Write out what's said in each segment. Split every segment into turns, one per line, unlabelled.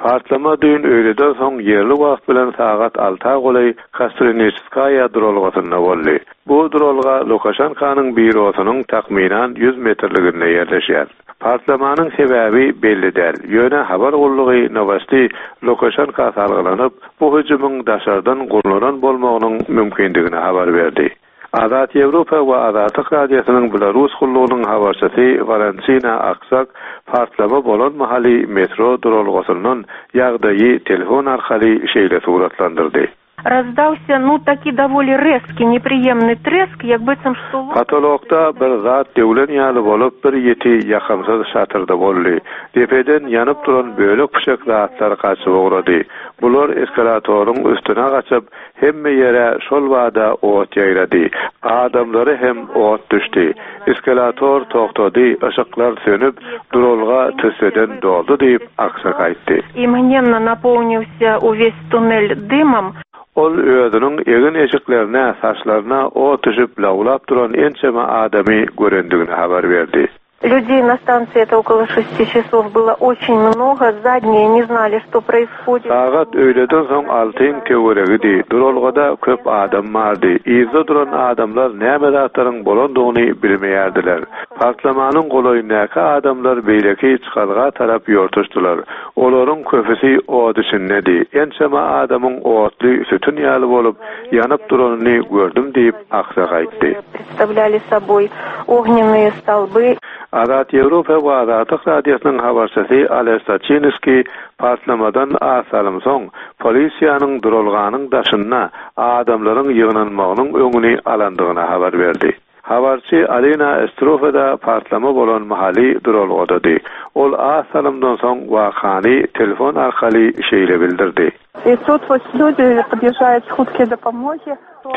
Partlama düýn öýleden soň ýerli wagt bilen sagat alta golaý Kostriniçskaýa duralgasynda boldy. Bu duralga Lukaşenkanyň býurosynyň takmynan 100 metrliginde ýerleşýär. Partlamanyň sebäbi belli däl, ýöne habar gullugy Nowosti Lukaşenka salgylanyp, bu hüjümiň daşardan gurnalan bolmagynyň mümkindigini habar berdi. Azat Ýewropa we Azatlyk Radiosynyň Belarus gullugynyň habarçysy Walentina Aksak partlama bolan mahaly metro duralgasyndan ýagdaýy telefon arkaly şeýle suratlandyrdy.
Razdalsýa nu taki dowoli rezkiý nepriýemnyý tresk, ýak byssam şto
Potolokda bir zat döwlen ýaly bolup bir ýiti ýakymsyz şatyrdy boldy. Depeden ýanyp duran bölek-püşek zatlar gaçyp ugrady. Bular eskalatoryň üstüne gaçyp, Hemme ýere şol bada ot ýaýrady. Adamlara hem ot düşdi. Eskalator togtady, yşyklar sönüp, duralga tüsseden doldy diýip, Aksak aýtdy.
I mgnemno napołnilsýa uwes tunel dymom.
Ol özüniň egin-eşiklerine, saçlaryna ot düşüp lawlap duran ençeme adamy görendigini habar berdi.
Lýudey na stansiýi это okolo şesti çasov bylo oçin mnogo, zadniýe ne znali şto proishodit.
Sagat öýleden soň altyň töweregidi, duralgada köp adam bardy. Yzda duran adamlar näme zatlaryň bolandygyny bilmeýärdiler. Partlamanyň golaýyndaky adamlar beýleki çykalga tarap ýortuşdylar. Olaryň köpüsi ot içindedi. Ençeme adamyň otly sütün ýaly bolup, ýanyp duranyny gördüm diýip, Aksak aýtdy.
Predstavlyali soboý ognennyýe stolby.
Azat Ýewropa we Azatlyk Radiosynyň habarçysy Ales Saçinskiý partlamadan az salym soň, polisiýanyň duralganyň daşynda adamlaryň ýygnanmagynyň öňüni alandygyny habar berdi. Habarçy Alina Estrufeda partlama bolan mahaly duralgadady. Ol az salymdan soň wakany telefon arkaly şeýle bildirdi.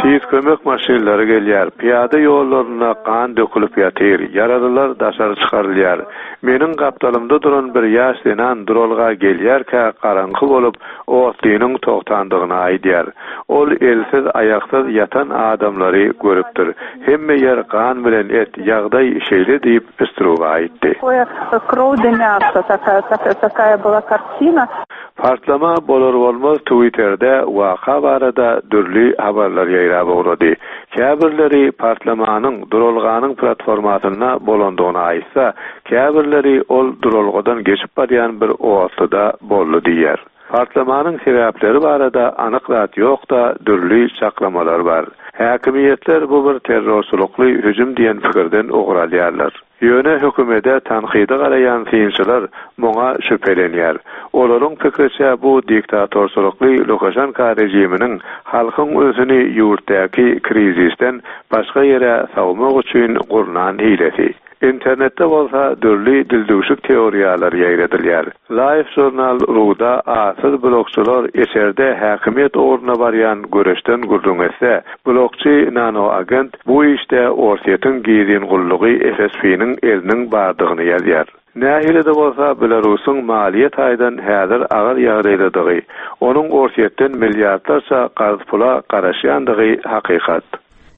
Tiz kömek maşynlary gelýär, pyýada ýollarynda gan dökülip ýatyr, ýaralylar daşary çykarylýar. Meniň gapdalymda duran bir ýaş zenan duralga gelýärkä garaňky bolup, otlynyň togtandygyny aýdýar. Ol elsiz, aýaksyz ýatan adamlary görüpdir. Hemme ýer gan bilen et, ýagdaý şeýle diýip, Struga aýtdy. Partlama bolar-bolmaz Twitterde waka barada dürli habarlar ýaýrap ugrady. Käbirleri partlamanyň duralganyň platformasynda bolandygyny aýtsa, käbirleri ol duralgadan geçip barýan bir otluda boldy diýýär. Partlamanyň sebäpleri barada anyk zat ýok-da, dürli çaklamalar bar. Häkimiýetler bu bir terrorçylykly hüjüm diýen pikirden ugur alýarlar. Ýöne hökümede tankydy garaýan synçylar muňa şübhelenýär. Olaryň pikriçe bu diktatorçylykly Lukaşenka režiminiň halkyň ünsüni ýurtdaky krizisden başga ýere sowmak üçin gurnan hilesi. Internetde bolsa dürli dildüwşük teoriýalar ýaýradylýar. Life Journal ru-da atsyz blogçylar içerde häkimiýet ugrunda barýan göreşden gürrüň etse, blogçy Nanoagent bu işde Orsýetiň gizlin gullugy FSB-niň eliniň bardygyny ýazýar. Nähili-de bolsa, Belarusyň maliýe taýdan häzir agyr ýagdaýdadygy, onuň Orsýetden milliardlarça karz pula garaşýandygy hakykat.